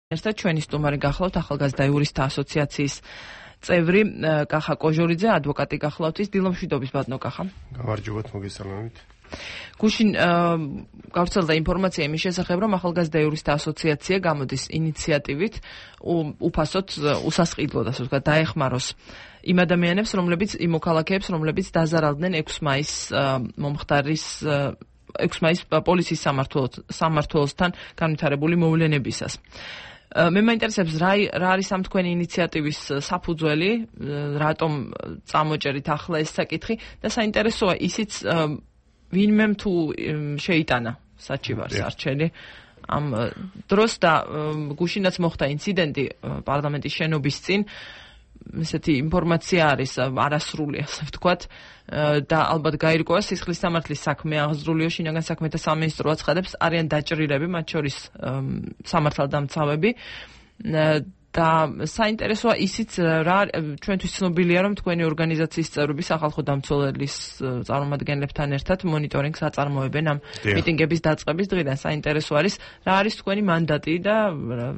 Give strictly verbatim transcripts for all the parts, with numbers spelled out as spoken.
ერთად ჩვენი სტუმარი გახლავთ ახალგაზრდა იურისტთა ასოციაციის წევრი კახა კოჟორიძე, ადვოკატი გახლავთ. ის დილომშვიდობის ბატონო კახა. გამარჯობათ, მოგესალმებით. გუშინ გავრცელდა ინფორმაცია იმის შესახებ, რომ ახალგაზრდა იურისტთა ასოციაცია გამოდის ინიციატივით უფასოდ უსასყიდლოდ, ასე ვთქვათ, დაეხმაროს იმ ადამიანებს, რომლებიც იმ მოქალაქეებს, რომლებიც დაზარალდნენ ექვსი მაისს მომხდარის ექვსი მაისს პოლიციის სამმართველოსთან განვითარებული მოვლენებისას. მე მაინტერესებს რა რა არის ამ თქვენი ინიციატივის საფუძველი, რატომ წამოჭერით ახლა ეს საკითხი და საინტერესოა ისიც ვინმემ თუ შეიტანა საჩივარს არჩელი ამ დროს და გუშინაც მოხდა ინციდენტი პარლამენტის შენობის წინ. ესეთი ინფორმაცია არის არასრული, ასე ვთქვათ, და ალბათ გაირკვევა სისხლის სამართლის საქმე აღზრულიო შინაგან საქმეთა სამინისტრო აცხადებს, არიან დაჭრილები, მათ შორის სამართალდამცავები და საინტერესოა ისიც რა ჩვენთვის ცნობილია, რომ თქვენი ორგანიზაციის წევრები სახალხო დამცველების წარმომადგენლებთან ერთად მონიტორინგს აწარმოებენ ამ მიტინგების დაწყების დღიდან. საინტერესო არის რა არის თქვენი მანდატი და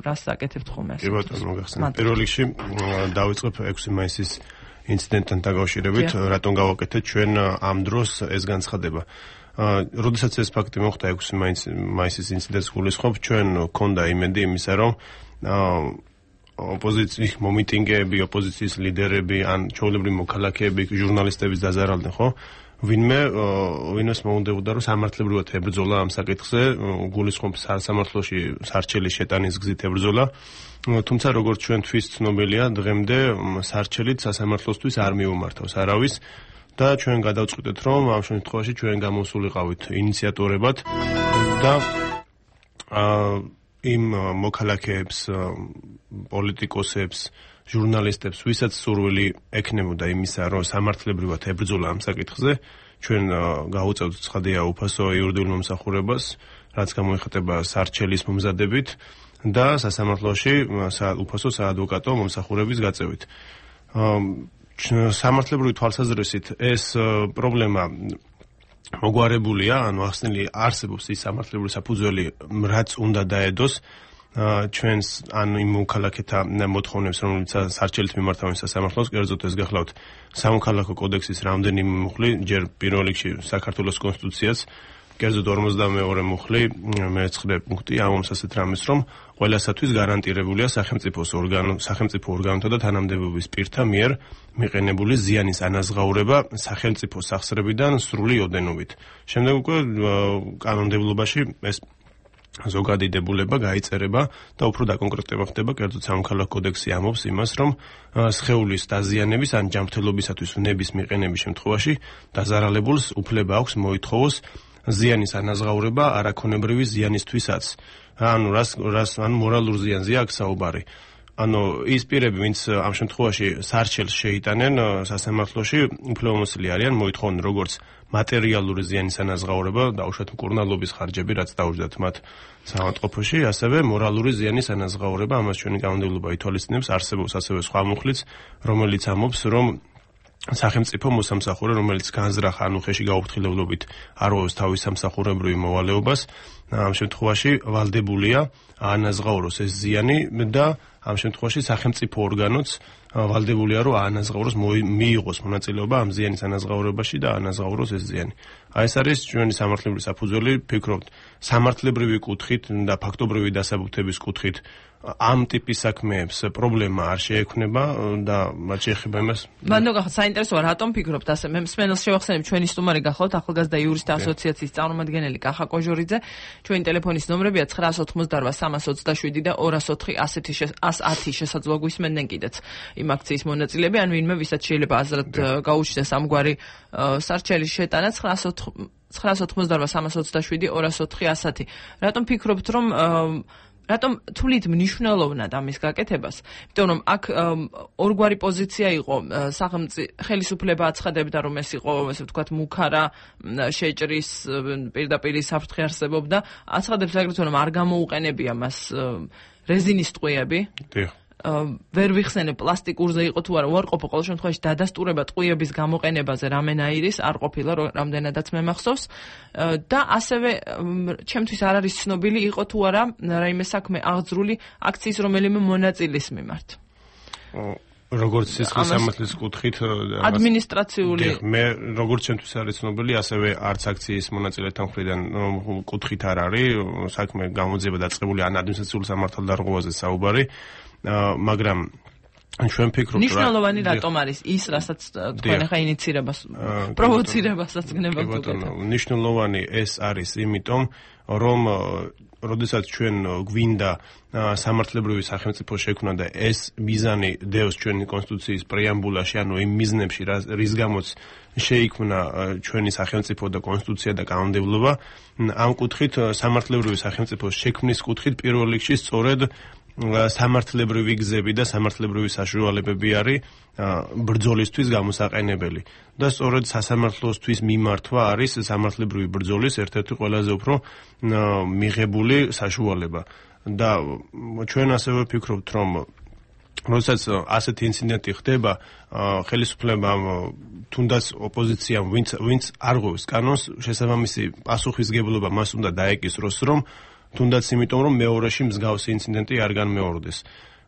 რას აკეთებთ ხოლმე. კი ბატონო, მოგახსენებთ. პირველ რიგში დავიწყებ ექვსი მაისის ინციდენტთან დაკავშირებით, რატომ გავაკეთეთ ჩვენ ამ დროს ეს განცხადება. როდესაც ეს ფაქტი მოხდა ექვსი მაისის ინციდენტს გულისხმობ, ჩვენ გქონდა იმედი იმისა, რომ ოპოზიციის მომიტინგეები, ოპოზიციის ლიდერები, ან ჩვეულებრივი მოქალაქეები, ჟურნალისტების დაზარალდნენ, ხო? ვინმე ვინმეს მოუნდებოდა, რომ სამართლებრივად ებრძოლა ამ საკითხზე, გულისხმობ სამართლოში სარჩელის შეტანის გზით ებრძოლა. თუმცა როგორც ჩვენთვის ცნობილია, დღემდე სარჩელით სასამართლოსთვის არ მიუმართავს არავის და ჩვენ გადავწყვიტეთ, რომ ამ შემთხვევაში ჩვენ გამოსულიყავით ინიციატორებად და იმ მოქალაქეებს, პოლიტიკოსებს, ჟურნალისტებს, ვისაც სურვილი ექნებოდა იმისა, რომ სამართლებრივად ებრძოლა ამ საკითხზე, ჩვენ გავუწევთ ცხადია უფასო იურიდიულ მომსახურებას, რაც გამოიხატება სარჩელის მომზადებით და სასამართლოში უფასო საადვოკატო მომსახურების გაწევით. სამართლებრივი თვალსაზრისით ეს პრობლემა მოგვარებულია, ანუ ახსნილი არსებობს ის სამართლებრივი საფუძველი, რაც უნდა დაედოს ჩვენს ან იმ მოქალაქეთა მოთხოვნებს, რომელიც სარჩელით მიმართავენ სასამართლოს, კერძოდ ეს გახლავთ სამოქალაქო კოდექსის რამდენიმე მუხლი, ჯერ პირველ რიგში საქართველოს კონსტიტუციაც, კერძოდ ორმოცდამეორე მუხლი, მეცხრე პუნქტი ამობს ასეთ რამეს, რომ ყველასათვის გარანტირებულია სახელმწიფოს ორგანო, სახელმწიფო ორგანოთა და თანამდებობის პირთა მიერ მიყენებული ზიანის ანაზღაურება სახელმწიფო სახსრებიდან სრული ოდენობით. შემდეგ უკვე კანონმდებლობაში ეს ზოგადი დებულება გაიწერება და უფრო დაკონკრეტება ხდება, კერძოდ სამოქალაქო კოდექსი ამობს იმას, რომ სხეულის დაზიანების ან ჯანმრთელობისათვის ვნების მიყენების შემთხვევაში დაზარალებულს უფლება აქვს მოითხოვოს ზიანის ანაზღაურება არაქონებრივი ზიანისთვისაც. ანუ რას რას ან მორალურ ზიანზე აქვს საუბარი. ანუ ის პირები, ვინც ამ შემთხვევაში სარჩელს შეიტანენ სასამართლოში, უფლებამოსილი არიან მოითხოვონ როგორც მატერიალური ზიანის ანაზღაურება, დაუშვათ მკურნალობის ხარჯები, რაც დაუჯდათ მათ საავადმყოფოში, ასევე მორალური ზიანის ანაზღაურება, ამას ჩვენი კანონმდებლობა ითვალისწინებს, არსებობს ასევე სხვა მუხლიც, რომელიც ამობს, რომ სახელმწიფო მოსამსახურე, რომელიც განზრახ ან უხეში გაუფრთხილებლობით არღვევს თავის სამსახურებრივ მოვალეობას, ამ შემთხვევაში ვალდებულია აანაზღაუროს ეს ზიანი და ამ შემთხვევაში სახელმწიფო ორგანოც ვალდებულია, რომ აანაზღაუროს, მიიღოს მონაწილეობა ამ ზიანის ანაზღაურებაში და აანაზღაუროს ეს ზიანი. აი ეს არის ჩვენი სამართლებრივი საფუძველი, ფიქრობთ, სამართლებრივი კუთხით და ფაქტობრივი დასაბუთების კუთხით ამ ტიპის საქმეებს პრობლემა არ შეექმნება და მათ შეეხება იმას. მანდ გახსოვთ, საინტერესოა, რატომ ფიქრობთ ასე? მე მსმენელს შევახსენებ, ჩვენი სტუმარი გახლავთ ახალგაზრდა იურისტთა ასოციაციის წარმომადგენელი კახა კოჟორიძე. ჩვენი ტელეფონის ნომრებია ცხრაასი ოცდაოთხი სამას ოცდაშვიდი და ორასი ოთხი ათი შესაძლოა გვისმენდნენ კიდეც იმ აქციის მონაწილეები, ან ვინმე ვისაც შეიძლება აზრად გაუჩნდეს ამგვარი სარჩელის შეტანა ცხრაასი ოცდაოთხი სამას ოცდაშვიდი ორასი ოთხი ათი. რატომ ფიქრობთ, რომ რატომ თვლით მნიშვნელოვნად ამის გაკეთებას? იმიტომ რომ აქ ორგვარი პოზიცია იყო, სახელმწიფო ხელისუფლება აცხადებდა, რომ ეს იყო, ასე ვთქვათ, მუქარა შეჭრის პირდაპირ საფრთხე არსებობდა, აცხადებს აგრეთვე, რომ არ გამოუყენებია მას რეზინის ტყვიები. ვერ ვიხსენებ პლასტიკურზე იყო თუ არა უარყოფა, ყოველ შემთხვევაში დადასტურება ტყვიების გამოყენებაზე რამენაირის არ ყოფილა, რამდენადაც მე მახსოვს და ასევე ჩემთვის არ არის ცნობილი იყო თუ არა რაიმე საქმე აღძრული აქციის რომელიმე მონაწილის მიმართ. როგორც სისხლის სამართლის კუთხით ადმინისტრაციული მე როგორც ჩემთვის არის ცნობილი, ასევე არც აქციის მონაწილეთა მხრიდან კუთხით არ არის საქმე გამოძიება დაწყებული ან ადმინისტრაციული სამართალდარღვევაზე საუბარი, მაგრამ ჩვენ ფიქრობთ რა მნიშვნელოვანი რატომ არის ის, რასაც თქვენ ახლა ინიცირებას პროვოცირებასაც გნებავთ უკეთ. მნიშვნელოვანი ეს არის იმიტომ, რომ როდესაც ჩვენ გვინდა სამართლებრივი სახელმწიფო შექმნა და ეს მიზანი დევს ჩვენი კონსტიტუციის პრეამბულაში, ანუ იმ მიზნებში, რის გამოც შეიქმნა ჩვენი სახელმწიფო და კონსტიტუცია და კანონმდებლობა, ამ კუთხით სამართლებრივი სახელმწიფოს შექმნის კუთხით პირველ რიგში სწორედ სამართლებრივი გზები და სამართლებრივი საშუალებები არის ბრძოლისთვის გამოსაყენებელი და სწორედ სასამართლოსთვის მიმართვა არის სამართლებრივი ბრძოლის ერთ-ერთი ყველაზე უფრო მიღებული საშუალება და ჩვენ ასევე ვფიქრობთ, რომ როდესაც ასეთი ინციდენტი ხდება, ხელისუფლებამ თუნდაც ოპოზიციამ ვინც ვინც არღვევს კანონს, შესაბამისი პასუხისგებლობა მას უნდა დაეკისროს, რომ თუნდაც იმიტომ, რომ მეორეში მსგავსი ინციდენტი არ განმეორდეს.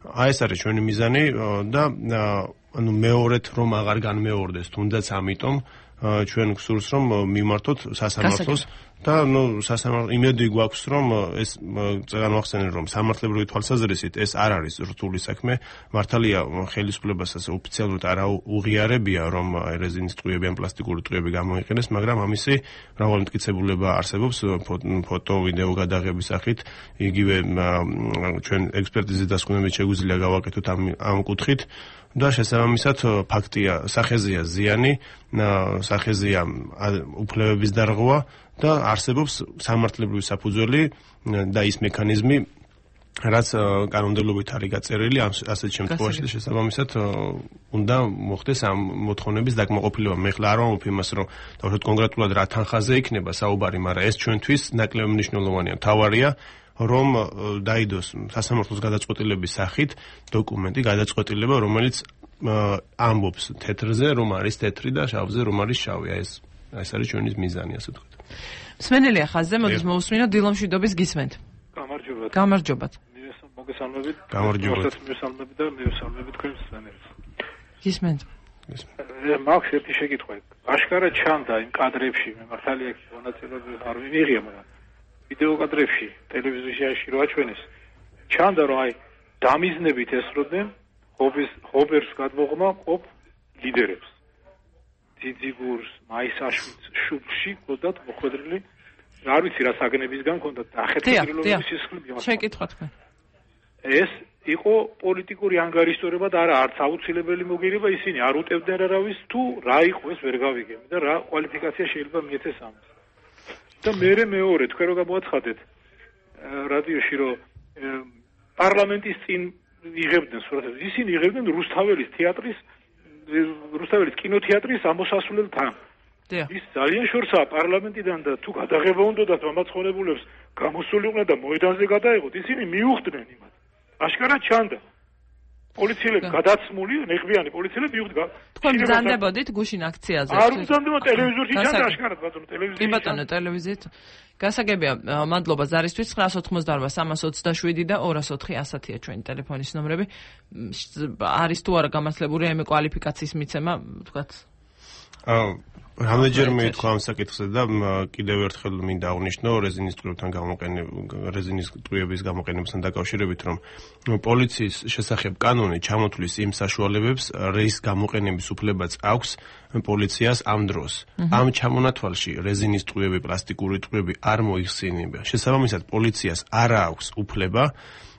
აი ეს არის ჩვენი მიზანი და ანუ მეორედ რომ აღარ განმეორდეს, თუნდაც ამიტომ ჩვენ გსურს, რომ მიმართოთ სასამართლოს და ნუ სასამართლო იმედი გვაქვს, რომ ეს განვახსენოთ, რომ სამართლებრივი თვალსაზრისით ეს არ არის რთული საქმე. მართალია ხელისუფლებასაც ოფიციალურად არ უღიარებია, რომ რეზინის ტყვიები ან პლასტიკური ტყვიები გამოიყენეს, მაგრამ ამისი მრავალი მტკიცებულება არსებობს ფოტო, ვიდეო გადაღების სახით. იგივე ჩვენ ექსპერტიზის დასკვნებით შეგვიძლია გავაკეთოთ ამ ამ კუთხით. და შესაბამისად ფაქტია, სახეზია ზიანი, სახეზია უფლებების დარღვევა და არსებობს სამართლებრივი საფუძველი და ის მექანიზმი, რაც კანონმდებლობით არის გაწერილი, ასეთ შემთხვევაში შესაბამისად უნდა მოხდეს ამ მოთხოვნების დაკმაყოფილება. მე ხლა არ ვამბობ იმას, რომ დავუშვათ კონკრეტულად რა თანხაზე იქნება საუბარი, მაგრამ ეს ჩვენთვის ნაკლები მნიშვნელოვანია. თავარია რომ დაიდოს სასამართლოს გადაწყვეტილების სახით დოკუმენტი, გადაწყვეტილება, რომელიც ამბობს თეთრზე, რომ არის თეთრი და შავზე, რომ არის შავი. ეს ეს არის ჩვენი მიზანი, ასე ვთქვათ. მსმენელია ხაზზე, მოდის მოусმინოთ დილომშვიდობის გისმენთ. გამარჯობათ. გამარჯობათ. მოგესალმებით. გამარჯობათ. მოგესალმებით და მოგესალმებით თქვენ მსმენელს. გისმენთ. მაქვს ერთი შეკითხვა. აშკარად ჩანდა იმ კადრებში, მე მართალია მონაწილეობა არ მივიღია, მაგრამ ვიდეო კადრებში ტელევიზიაში რო აჩვენეს, ჩანდა რომ აი დამიზნებით ესროდნენ ხობის ხობერს გადმოღმა ყოფ ლიდერებს. ძიძიგურს, მაისაშვილს, შუბლში ყოდათ მოხვედრილი, არ ვიცი რა საგნებისგან ქონდათ ახერხებულობის სისხლი. შეკითხვა თქვენ. ეს იყო პოლიტიკური ანგარიშტორება და არა არც აუცილებელი მოგირება, ისინი არ უტევდნენ არავის, თუ რა იყო ეს ვერ გავიგებ და რა კვალიფიკაცია შეიძლება მიეცეს ამას. და მერე მეორე თქვენ რო გამოაცხადეთ რადიოში რომ პარლამენტის წინ იღებდნენ სურათებს, ისინი იღებდნენ რუსთაველის თეატრის რუსთაველის კინოთეატრის ამოსასვლელ თან. ის ძალიან შორსაა პარლამენტიდან და თუ გადაღება უნდათ მომაცხონებულებს გამოსულიყვნენ და მოედანზე გადაეღოთ, ისინი მიუხვდნენ იმათ. აშკარად ჩანდა. პოლიციელები გადაცმული, ნეხვიანი პოლიციელები მიუხვდნენ. თქვენ ბრძანდებოდით გუშინ აქციაზე? არ ბრძანდებოდი, ტელევიზორში ჩანდა აშკარად ბატონო, ტელევიზორში. კი ბატონო, ტელევიზიით. გასაგებია, მადლობა ზარისთვის ნაინცი ოცდაოთხი სამას ოცდაშვიდი და ორას ოთხი ასათია ჩვენი ტელეფონის ნომრები. არის თუ არა გამართლებული ამ კვალიფიკაციის მიცემა, თქვათ? აა რამდენჯერმე თქვა ამ საკითხზე და კიდევ ერთხელ მინდა აღნიშნო რეზინის ტყვიებთან გამოყენება, რეზინის ტყვიების გამოყენებასთან დაკავშირებით, რომ პოლიციის შესახებ კანონი ჩამოთვლის იმ საშუალებებს, რის გამოყენების უფლებაც აქვს პოლიციას ამ დროს. ამ ჩამონათვალში რეზინის ტყვიები, პლასტიკური ტყვიები არ მოიხსენიება. შესაბამისად, პოლიციას არ აქვს უფლება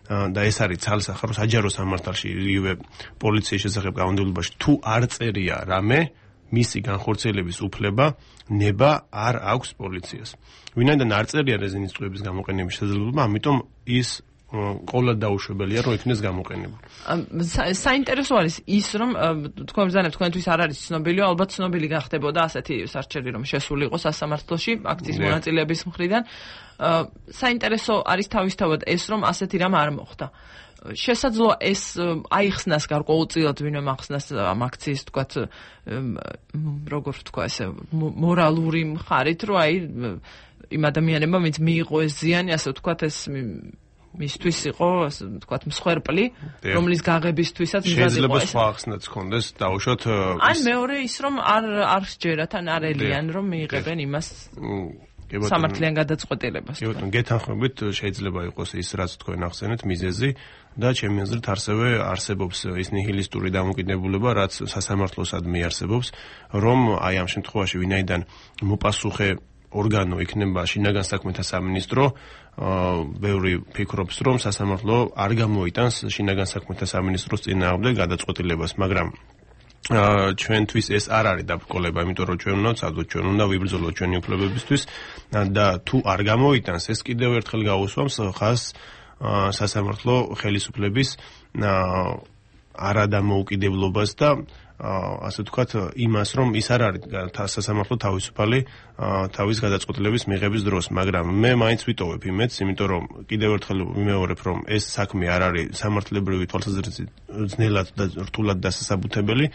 და ეს არის ცალსახარო საჯარო სამართალში იგივე პოლიციის შესახებ კანონმდებლობაში თუ არ წერია რამე მისი განხორციელების უფლება ნება არ აქვს პოლიციას. ვინაიდან არ წერია რეზინის ტყვიების გამოყენების შესაძლებლობა, ამიტომ ის ყოლა დაუშვებელია, რომ იქნეს გამოყენებული. საინტერესო არის ის, რომ თქვენ ბრძანებთ, თქვენთვის არ არის ცნობილი, ალბათ ცნობილი გახდებოდა ასეთი სარჩელი, რომ შესულიყო სასამართლოში აქციის მონაწილეების მხრიდან. საინტერესო არის თავისთავად ეს, რომ ასეთი რამ არ მოხდა. შესაძლოა ეს აიხსნას გარკვეულწილად ვინმე ახსნას ამ აქციის თქვათ როგორ თქვა ესე მორალური მხარით რომ აი იმ ადამიანებმა ვინც მიიღო ეს ზიანი ასე ვთქვათ ეს მისთვის იყო ასე ვთქვათ მსხვერპლი რომლის გაღებისთვისაც შეიძლება სხვა ახსნაც ქონდეს დაუშვათ ან მეორე ის რომ არ არ შეერათ ან არ ელიან რომ მიიღებენ იმას სამართლიან გადაწყვეტილებას. კი ბატონო, გეთანხმებით შეიძლება იყოს ის რაც თქვენ ახსენეთ მიზეზი და ჩემი აზრით ასევე არსებობს ის ნიჰილისტური დამოკიდებულება, რაც სასამართლოსადმი არსებობს, რომ აი ამ შემთხვევაში ვინაიდან მოპასუხე ორგანო იქნება შინაგან საქმეთა სამინისტრო, ბევრი ფიქრობს, რომ სასამართლო არ გამოიტანს შინაგან საქმეთა სამინისტროს წინააღმდეგ გადაწყვეტილებას, მაგრამ ჩვენთვის ეს არ არის დაბრკოლება, იმიტომ რომ ჩვენ უნდა ვცადოთ, ჩვენ უნდა ვიბრძოლოთ ჩვენი უფლებებისთვის და თუ არ გამოიტანს, ეს კიდევ ერთხელ გაუსვამს ხაზს სასამართლო ხელისუფლების არადამოუკიდებლობას და ასე ვთქვათ, იმას, რომ ის არ არის სასამართლო თავისუფალი თავის გადაწყვეტილების მიღების დროს, მაგრამ მე მაინც ვიტოვებ იმედს, იმიტომ რომ კიდევ ერთხელ ვიმეორებ, რომ ეს საქმე არ არის სამართლებრივი თვალსაზრისით ძნელად და რთულად დასასაბუთებელი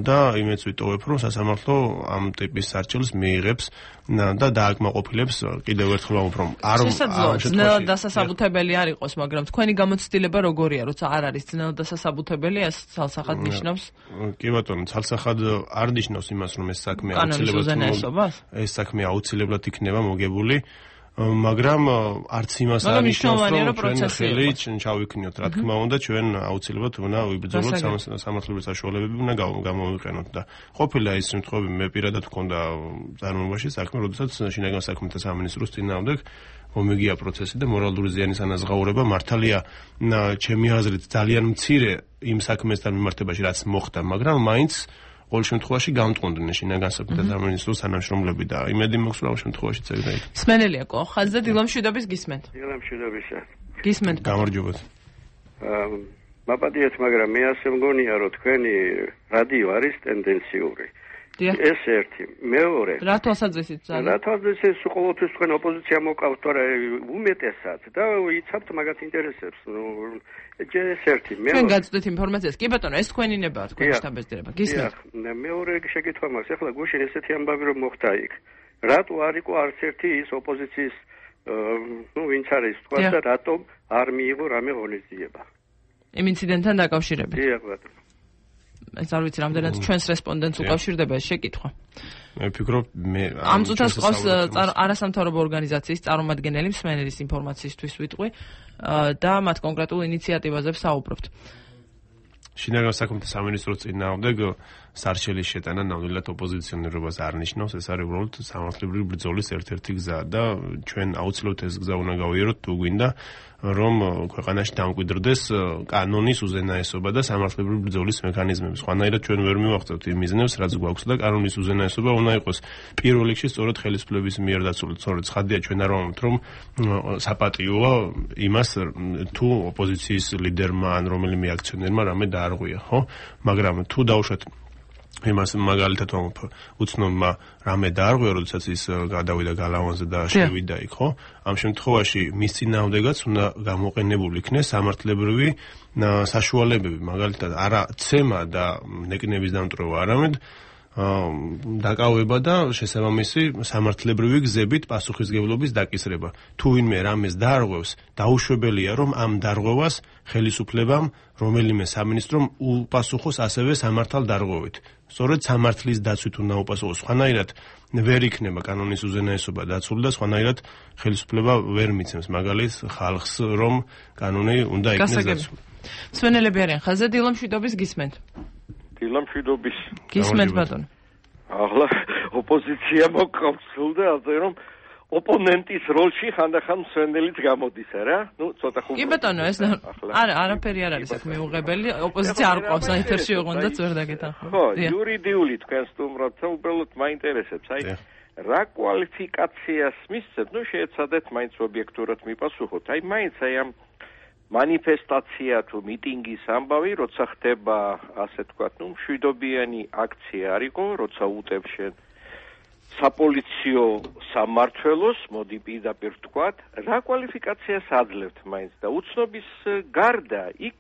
და იმედს ვიტოვებ, რომ სასამართლო ამ ტიპის სარჩელს მიიღებს და დააკმაყოფილებს კიდევ ერთხელ ვამბობ, რომ არ ძნელად დასასაბუთებელი არ იყოს, მაგრამ თქვენი გამოცდილება როგორია, როცა არ არის ძნელად დასასაბუთებელი, ეს ცალსახად ნიშნავს? კი ბატონო, ცალსახად არ ნიშნავს იმას, რომ ეს საქმე აუცილებლად ეს საქმე აუცილებლად იქნება მოგებული, მაგრამ არც იმას არ ნიშნავს, რომ ჩვენ ხელი ჩავიქნიოთ, რა თქმა უნდა, ჩვენ აუცილებლად უნდა ვიბრძოლოთ სამართლებრივი საშუალებები უნდა გამოვიყენოთ და ყოფილა ის შემთხვევები მე პირადად ვქონდა წარმოებაში საქმე, როდესაც შინაგან საქმეთა სამინისტროს წინააღმდეგ ომეგია პროცესი და მორალური ზიანის ანაზღაურება მართალია ჩემი აზრით ძალიან მცირე იმ საქმესთან მიმართებაში რაც მოხდა, მაგრამ მაინც ყოველ შემთხვევაში გამტყუნდნენ შინაგან საქმეთა სამინისტროს თანამშრომლები და იმედი მაქვს რომ ამ შემთხვევაში წერდა იქ. სმენელია ყო, ხაზზე დილამშვიდობის გისმენთ. დილამშვიდობისა. გისმენთ. გამარჯობათ. აა მაპატიეთ, მაგრამ მე ასე მგონია რომ თქვენი რადიო არის ტენდენციური. ეს ერთი, მეორე. რა თვალსაზრისით ძალიან? რა თვალსაზრისით ყოველთვის თქვენ ოპოზიცია მოკავთ, თორე უმეტესად და იცავთ მაგათ ინტერესებს. ნუ ეს ერთი. თქვენ გაწვდით ინფორმაციას. კი ბატონო, ეს თქვენი ნება, თქვენი შტაბ-ბეზდერება. გისმენთ. მეორე შეკითხვა მაქვს. ახლა გუშინ ესეთი ამბავი რომ მოხდა იქ. რატო არ იყო არც ერთი ის ოპოზიციის ნუ ვინც არის თქვა და რატომ არ მიიღო რამე ღონისძიება? იმ ინციდენტთან დაკავშირებით. დიახ ბატონო. ეს არ ვიცი რამდენად ჩვენს რესპონდენტს უკავშირდება ეს შეკითხვა. მე ვფიქრობ მე ამ წუთას ყავს არასამთავრობო ორგანიზაციის წარმომადგენელი მსმენელის ინფორმაციისთვის ვიტყვი და მათ კონკრეტულ ინიციატივაზე ვსაუბრობთ. შინაგან საქმეთა სამინისტროს წინააღმდეგ სარჩელის შეტანა ნამდვილად ოპოზიციონერობას არ ნიშნავს, ეს არის უბრალოდ სამართლებრივი ბრძოლის ერთ-ერთი გზა და ჩვენ აუცილებლად ეს გზა უნდა გავიაროთ თუ გვინდა რომ ქვეყანაში დამკვიდრდეს კანონის უზენაესობა და სამართლებრივი ბრძოლის მექანიზმები. სხვანაირად ჩვენ ვერ მივახცევთ იმ მიზნებს, რაც გვაქვს და კანონის უზენაესობა უნდა იყოს პირველ რიგში სწორედ ხელისუფლების მიერ დაცული. სწორედ ხადია ჩვენ არ ვამბობთ რომ საპატიოა იმას თუ ოპოზიციის ლიდერმა ან რომელიმე აქციონერმა რამე დაარღვია, ხო? მაგრამ თუ დავუშვათ იმას მაგალითად ვამბობ უცნობმა რამე დაარღვია, როდესაც ის გადავიდა გალავანზე და შევიდა იქ, ხო? ამ შემთხვევაში მის წინააღმდეგაც უნდა გამოყენებული იქნეს სამართლებრივი საშუალებები, მაგალითად არა ცემა და ნეკნების დამტვრევა, არამედ დაკავება და შესაბამისი სამართლებრივი გზებით პასუხისგებლობის დაკისრება. თუ ვინმე რამეს დაარღვევს, დაუშვებელია რომ ამ დარღვევას ხელისუფლებამ რომელიმე სამინისტრომ უპასუხოს ასევე სამართალ დარღვევით. სწორედ სამართლის დაცვით უნდა უპასუხოს. სხვანაირად ვერ იქნება კანონის უზენაესობა დაცული და სხვანაირად ხელისუფლება ვერ მიცემს მაგალითს ხალხს რომ კანონი უნდა იქნეს დაცული. სვენელები არიან ხაზზე დილამშვიდობის გისმენთ. დილამშვიდობის. გისმენთ ბატონო. ახლა ოპოზიცია მოკავთ სულ და ასე რომ ოპონენტის როლში ხანდახან მსვენელიც გამოდის, რა? ნუ ცოტა ხუმრობ. კი ბატონო, ეს არა, არაფერი არ არის აქ მიუღებელი. ოპოზიცია არ ყავს აითერში ოღონდ ძვერ დაგეთანხმო. ხო, იურიდიული თქვენ სტუმრობთ, უბრალოდ მაინტერესებს, აი რა კვალიფიკაციას მისცემთ? ნუ შეეცადეთ მაინც ობიექტურად მიპასუხოთ. აი მაინც აი ამ манифестация თუ მიტინგის ამბავი, როცა ხდება, ასე თქვათ, ნუ მშვიდობიანი აქცია არისო, როცა უტევ შენ საპოლიციო სამმართველოს, მოდი პირდაპირ ვთქვათ, რა კვალიფიკაციას აძლევთ მაინც და უცნობის გარდა იქ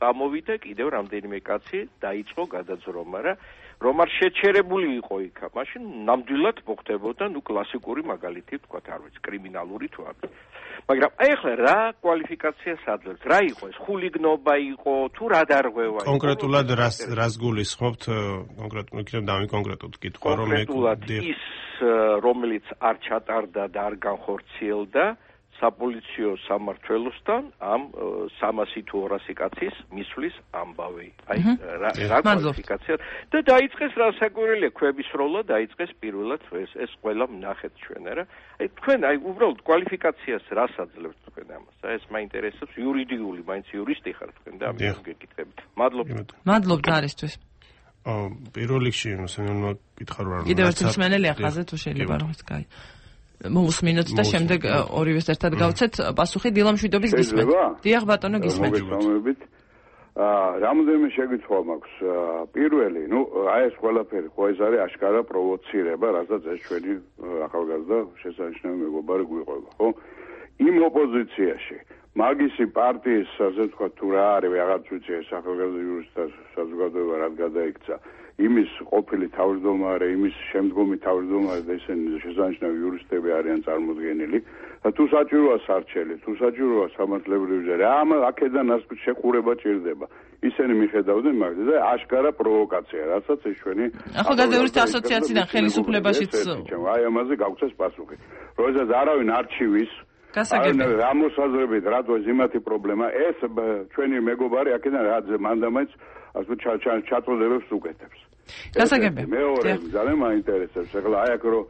წამოვიდა კიდევ რამდენიმე კაცი, დაიწყო გადაძრომა რა, რომ არ შეჩერებული იყო იქა, მაშინ ნამდვილად მოხდებოდა ნუ კლასიკური მაგალითი ვთქვათ, არ ვიცი, კრიმინალური თუ არა. მაგრამ აი ახლა რა კვალიფიკაციას აძლევთ? რა იყო ეს? ხულიგნობა იყო თუ რა დარღვევა იყო? კონკრეტულად რას რას გულისხმობთ? კონკრეტულად იქნებ დამი კონკრეტულად კითხვა, რომ კონკრეტულად ის რომელიც არ ჩატარდა და არ განხორციელდა საპოლიციო სამმართველოსთან ამ სამასი თუ ორასი კაცის მისვლის ამბავი. აი რა რა კვალიფიკაცია და დაიწყეს რა საკვირველია ქვების როლა დაიწყეს პირველად ეს ეს ყველა ვნახეთ ჩვენ რა. აი თქვენ აი უბრალოდ კვალიფიკაციას რას აძლევთ თქვენ ამას? აი ეს მაინტერესებს იურიდიული, მაინც იურისტი ხართ თქვენ და ამის გეკითხებით. მადლობა. მადლობთ არისთვის. აა პირველ რიგში მოსმენელმა კითხა რა. კიდევ ერთი მსმენელი ახაზე თუ შეიძლება რომ ის კაი. მოусმინოთ და შემდეგ ორივეს ერთად გავცეთ პასუხი დილამშვიდობის გისმენთ. დიახ ბატონო გისმენთ. მოგესალმებით. აა რამოდენიმე შეკითხვა მაქვს. პირველი, ნუ აი ეს ყველაფერი ხო ეს არის აშკარა პროვოცირება, რასაც ეს ჩვენი ახალგაზრდა შესანიშნავი მეგობარი გვიყვება, ხო? იმ ოპოზიციაში მაგისი პარტიის ასე ვთქვათ თუ რა არის, რაღაც ვიცი ეს ახალგაზრდა იურისტთა საზოგადოება რად გადაიქცა. იმის ყოფილი თავმჯდომარე, იმის შემდგომი თავმჯდომარე და ისინი შესანიშნავი იურისტები არიან წარმოდგენილი. და თუ საჭიროა სარჩელი, თუ საჭიროა სამართლებრივი ჯარი, ამ აქედან შეყურება ჭირდება. ისინი მიხედავდნენ მაგას და აშკარა პროვოკაცია, რასაც ეს ჩვენი ახალგაზრდა იურისტთა ასოციაციიდან ხელისუფლებაშიც აი ამაზე გავცეს პასუხი. როდესაც არავინ არჩივის გასაგებია. რა მოსაზრებით, რატო ეს იმათი პრობლემა, ეს ჩვენი მეგობარი აქედან რა მანდამაინც ასე ჩაწოდებებს უკეთებს. გასაგებია. მეორე ძალიან მაინტერესებს. ეხლა აი აქ რო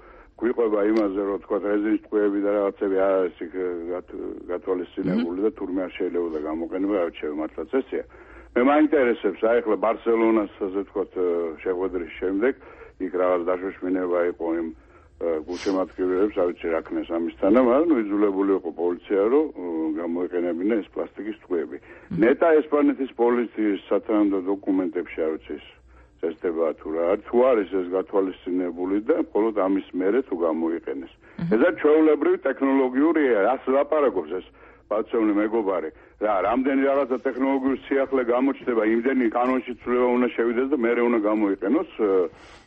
გვიყვება იმაზე, რომ თქვა რეზინის ტყუები და რაღაცები არ არის იქ გათვალისწინებული და თურმე არ შეიძლება გამოყენება, არ შეიძლება მართლაც ესეა. მე მაინტერესებს აი ახლა ბარსელონას ასე ვთქვათ შეხვედრის შემდეგ იქ რაღაც დაშოშმინება იყო იმ გულშემატკივრებს, არ ვიცი რა ქნეს ამისთანა, მაგრამ იძულებული იყო პოლიცია რომ გამოეყენებინა ეს პლასტიკის ტყუები. ნეტა ესპანეთის პოლიციის სათანადო დოკუმენტებში არ ვიცი წესდება თუ რა არის, თუ არის ეს გათვალისწინებული და მხოლოდ ამის მერე თუ გამოიყენეს. ესა ჩვეულებრივი ტექნოლოგიურია, რას ლაპარაკობს ეს ბაცოვნი მეგობარი. რა, რამდენი რაღაცა ტექნოლოგიური სიახლე გამოჩნდება, იმდენი კანონში ცვლილება უნდა შევიდეს და მერე უნდა გამოიყენოს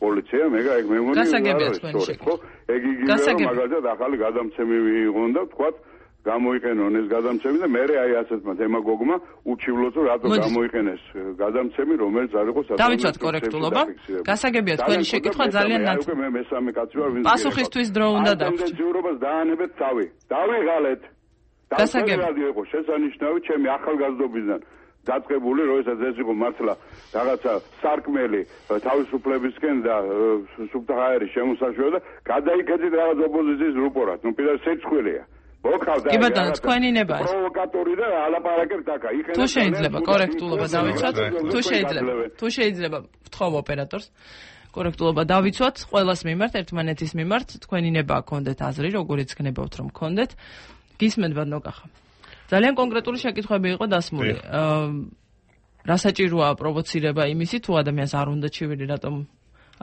პოლიცია, მე ეგ მე მგონი გასაგებია თქვენი შეკითხვა. ეგ იგივე მაგალითად ახალი გადამცემი ვიღონ და ვთქვათ გამოიყენონ ეს გადამცემი და მერე აი ასეთმა დემაგოგმა უჩივლოს რომ რატო გამოიყენეს გადამცემი რომელიც არ იყო საკუთარ დავიცვათ კორექტულობა. გასაგებია თქვენი შეკითხვა ძალიან ნაცვლად. მე მესამე კაცი ვარ ვინც პასუხისთვის დრო უნდა დავჭიროთ. ამ დაანებეთ თავი. დავიღალეთ. გასაგებია იყო შესანიშნავი ჩემი ახალგაზრდობისგან დაწყებული როდესაც ეს იყო მართლა რაღაცა სარკმელი თავისუფლებისკენ და სუბტაჰაერის შემოსაშვება და გადაიქეთით რაღაც ოპოზიციის რუპორად. ნუ პირდაპირ სეცხვილია. მოგხავდა კი ბატონო თქვენი ნება ეს პროვოკატორი და ალაპარაკებს აქა. თუ შეიძლება კორექტულობა დავიცვათ, თუ შეიძლება თუ შეიძლება ვთხოვ ოპერატორს კორექტულობა დავიცვათ ყველას მიმართ, ერთმანეთის მიმართ, თქვენი ნება გქონდეთ აზრი, როგორიც გნებავთ რომ გქონდეთ. გისმენთ ბატონო კახა. ძალიან კონკრეტული შეკითხვები იყო დასმული. რა საჭიროა პროვოცირება იმისი თუ ადამიანს არ უნდა ჩივილი, რატომ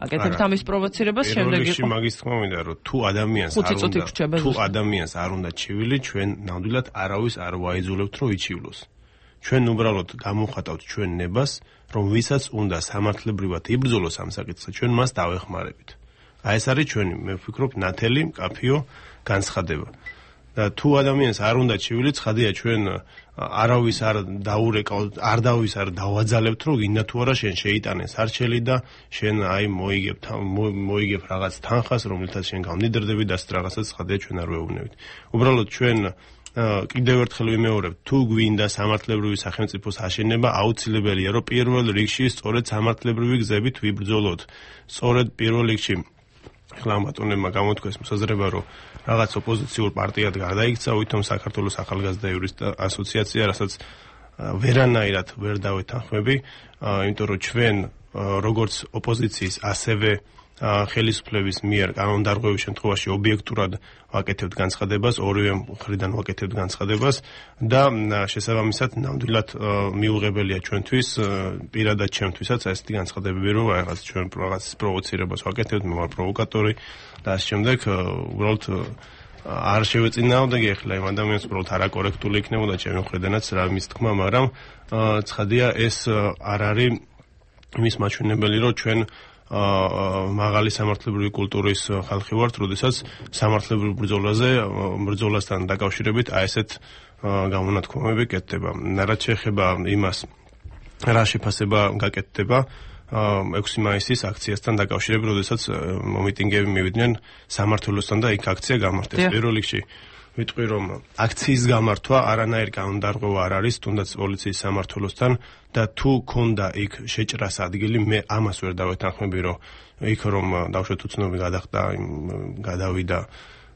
აკეთებთ ამის პროვოცირებას, შემდეგ იყო. მაგის თქმა მინდა რომ თუ ადამიანს არ უნდა თუ ადამიანს არ უნდა ჩივილი, ჩვენ ნამდვილად არავის არ ვაიძულებთ რომ იჩივლოს. ჩვენ უბრალოდ გამოვხატავთ ჩვენ ნებას, რომ ვისაც უნდა სამართლებრივად იბრძოლოს ამ საკითხზე, ჩვენ მას დავეხმარებით. აი ეს არის ჩვენი, მე ვფიქრობ, ნათელი, მკაფიო განცხადება. და თუ ადამიანს არ უნდა ჩივილი, ცხადია ჩვენ არავის არ დაურეკავთ, არ დავის არ დავაძალებთ, რომ გინდა თუ არა შენ შეიტანე სარჩელი და შენ აი მოიგებ მოიგებ რაღაც თანხას, რომელთაც შენ გამდიდრდები და ასეთ რაღაცას ცხადია ჩვენ არ ვეუბნებით. უბრალოდ ჩვენ კიდევ ერთხელ ვიმეორებ, თუ გვინდა სამართლებრივი სახელმწიფოს აშენება, აუცილებელია რომ პირველ რიგში სწორედ სამართლებრივი გზებით ვიბრძოლოთ. სწორედ პირველ რიგში ახლა ბატონებმა გამოთქვეს მოსაზრება, რომ რაღაც ოპოზიციურ პარტიად გადაიქცა, ვითომ საქართველოს ახალგაზრდა იურისტთა ასოციაცია, რასაც ვერანაირად ვერ დავეთანხმები, იმიტომ რომ ჩვენ როგორც ოპოზიციის, ასევე ხელისუფლების მიერ კანონდარღვევის შემთხვევაში ობიექტურად ვაკეთებთ განცხადებას, ორივე მხრიდან ვაკეთებთ განცხადებას და შესაბამისად ნამდვილად მიუღებელია ჩვენთვის, პირადად ჩემთვისაც ესეთი განცხადებები, რომ რაღაც ჩვენ რაღაც პროვოცირებას ვაკეთებთ, მე ვარ პროვოკატორი და ამ შემდეგ უბრალოდ არ შევეწინააღმდეგე ახლა იმ ადამიანს, უბრალოდ არაკორექტული იქნებოდა ჩემი მხრიდანაც რა მის თქმა, მაგრამ ცხადია ეს არ არის იმის მაჩვენებელი, რომ ჩვენ მაღალი სამართლებრივი კულტურის ხალხი ვართ, როდესაც სამართლებრივ ბრძოლაზე, ბრძოლასთან დაკავშირებით აი ესეთ გამონათქვამები კეთდება. რაც შეეხება იმას, რა შეფასება გაკეთდება ექვსი მაისის აქციასთან დაკავშირებით, როდესაც მომიტინგეები მივიდნენ სამართლოსთან და იქ აქცია გამართეს. პირველ რიგში ვიტყვი, რომ აქციის გამართვა არანაირი კანონდარღვევა არ არის, თუნდაც პოლიციის სამართლოსთან და თუ ქონდა იქ შეჭრას ადგილი, მე ამას ვერ დავეთანხმები, რომ იქ რომ დავშვეთ უცნობი გადახდა, გადავიდა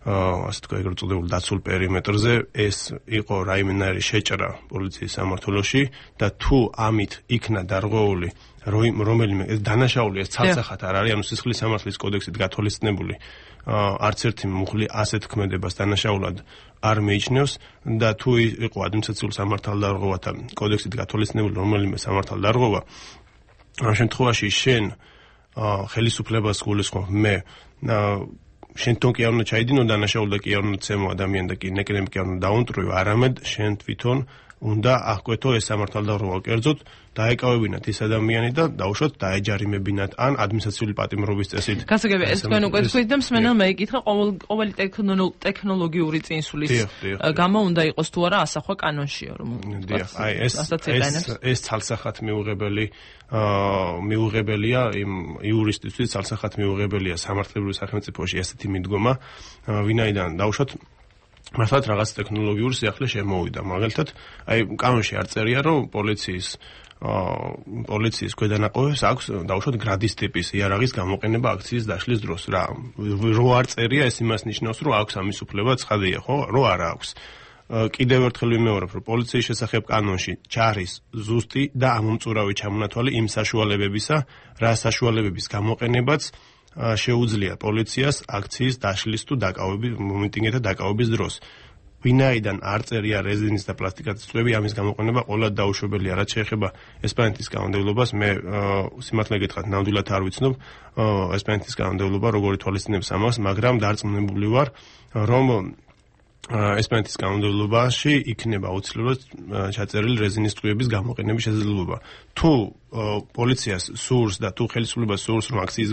ასე თქვა ეგრეთ წოდებული დაცულ პერიმეტრზე, ეს იყო რაიმენარი შეჭრა პოლიციის სამართლოში და თუ ამით იქნა დარღვეული რომელიმე დანაშაული ეს ცალსახად არ არის, ანუ სისხლის სამართლის კოდექსით გათვალისწინებული არც ერთი მუხლი ასეთ ქმედებას დანაშაულად არ მეიჩნევს და თუ იყო ადმინისტრაციულ სამართალდარღვევათა კოდექსით გათვალისწინებული რომელიმე სამართალდარღვევა, ამ შემთხვევაში შენ ხელისუფლებას გულისხმობ, მე შენ თვითონ კი არ უნდა ჩაიდინო დანაშაული და კი არ უნდა ცემო ადამიანი და კი ნეკნები კი არ უნდა დაუნტრივო, არამედ შენ თვითონ უნდა აღკვეთო ეს სამართალდარღვევა კერძოდ, დაეკავებინათ ის ადამიანი და დაუშვათ დაეჯარიმებინათ ან ადმინისტრაციული პატიმრობის წესით. გასაგებია, ეს თქვენ უკვე თქვით და მსმენელმა ეკითხა ყოველი ტექნოლოგიური წინსulis გამო უნდა იყოს თუ არა ასახვა კანონშია, რომ აი ეს ეს ცალსახად მიუღებელი მიუღებელია იმ იურისტისთვის, ცალსახად მიუღებელია სამართლებრივ სახელმწიფოში ესეთი მიდგომა, ვინაიდან დაუშვათ მართლაც რაღაც ტექნოლოგიური სიახლე შემოვიდა. მაგალითად, აი კანონში არ წერია, რომ პოლიციის პოლიციის ქვედანაყოფებს აქვს დაუშვათ გრადის ტიპის იარაღის გამოყენება აქციის დაშლის დროს. რა რო არ წერია, ეს იმას ნიშნავს, რომ აქვს ამის უფლება, ცხადია, ხო? რო არ აქვს. კიდევ ერთხელ ვიმეორებ, რომ პოლიციის შესახებ კანონში ჩარის ზუსტი და ამომწურავი ჩამონათვალი იმ საშუალებებისა, რა საშუალებების გამოყენებაც შეუძლია პოლიციას აქციის დაშლის თუ დაკავების მომიტინგეთა დაკავების დროს. ვინაიდან არ წერია რეზინის და პლასტიკატის წვევი, ამის გამოყენება ყოველად დაუშვებელია. რაც შეეხება ესპანეთის კანონმდებლობას, მე სიმართლე გითხრათ, ნამდვილად არ ვიცნობ ესპანეთის კანონმდებლობა როგორი თვალისწინებს ამას, მაგრამ დარწმუნებული ვარ, რომ ესპანეთის კანონმდებლობაში იქნება აუცილებლად ჩაწერილი რეზინის წვევების გამოყენების შესაძლებლობა. თუ პოლიციას სურს და თუ ხელისუფლებას სურს, რომ აქციის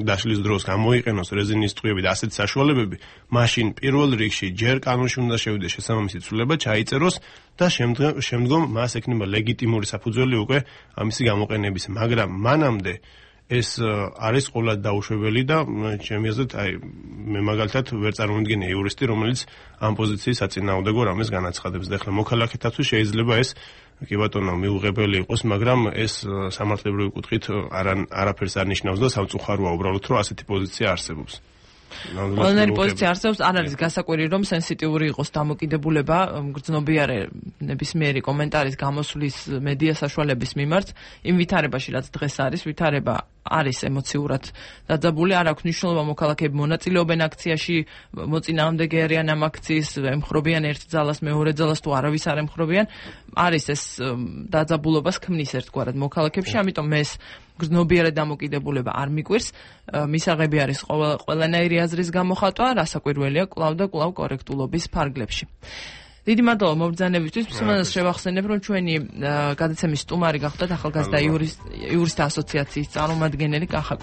დაშლის დროს გამოიყენოს რეზინის წვევები და ასეთი საშუალებები, მაშინ პირველ რიგში ჯერ კანონში უნდა შევიდეს შესაბამისი ცვლილება, ჩაიწეროს და შემდგომ მას ექნება ლეგიტიმური საფუძველი უკვე ამისი გამოყენების, მაგრამ მანამდე ეს არის ყოველად დაუშვებელი და ჩემი აზრით, აი მე მაგალითად ვერ წარმოვიდგენია იურისტი, რომელიც ამ პოზიციის საწინააღმდეგო რამეს განაცხადებს და ახლა მოქალაქეთაცვი შეიძლება ეს კი ბატონო მიუღებელი იყოს, მაგრამ ეს სამართლებრივი კუთხით არაფერს არ ნიშნავს და სამწუხაროა უბრალოდ, რომ ასეთი პოზიცია არსებობს. ყველანაირი პოზიცია არსებობს, არ არის გასაკვირი, რომ სენსიტიური იყოს დამოკიდებულება გრძნობიარე ნებისმიერი კომენტარის გამოსვლის მედია საშუალების მიმართ, იმ ვითარებაში, რაც დღეს არის, ვითარება არის ემოციურად დაძაბული, არ აქვს მნიშვნელობა მოქალაქეები მონაწილეობენ აქციაში, მოწინააღმდეგე არიან ამ აქციის, ემხრობიან ერთ ძალას, მეორე ძალას თუ არავის არ ემხრობიან, არის ეს დაძაბულობას ქმნის ერთგვარად მოქალაქეებში, ამიტომ მე ეს გრძნობიარე დამოკიდებულება არ მიკვირს, მისაღები არის ყველანაირი აზრის გამოხატვა, რასაკვირველია კვლავ და კვლავ კორექტულობის ფარგლებში. დიდი მადლობა მობრძანებისთვის. მსმენელს შევახსენებ, რომ ჩვენი გადაცემის სტუმარი გახლდათ ახალგაზრდა იურისტთა ასოციაციის წარმომადგენელი კახა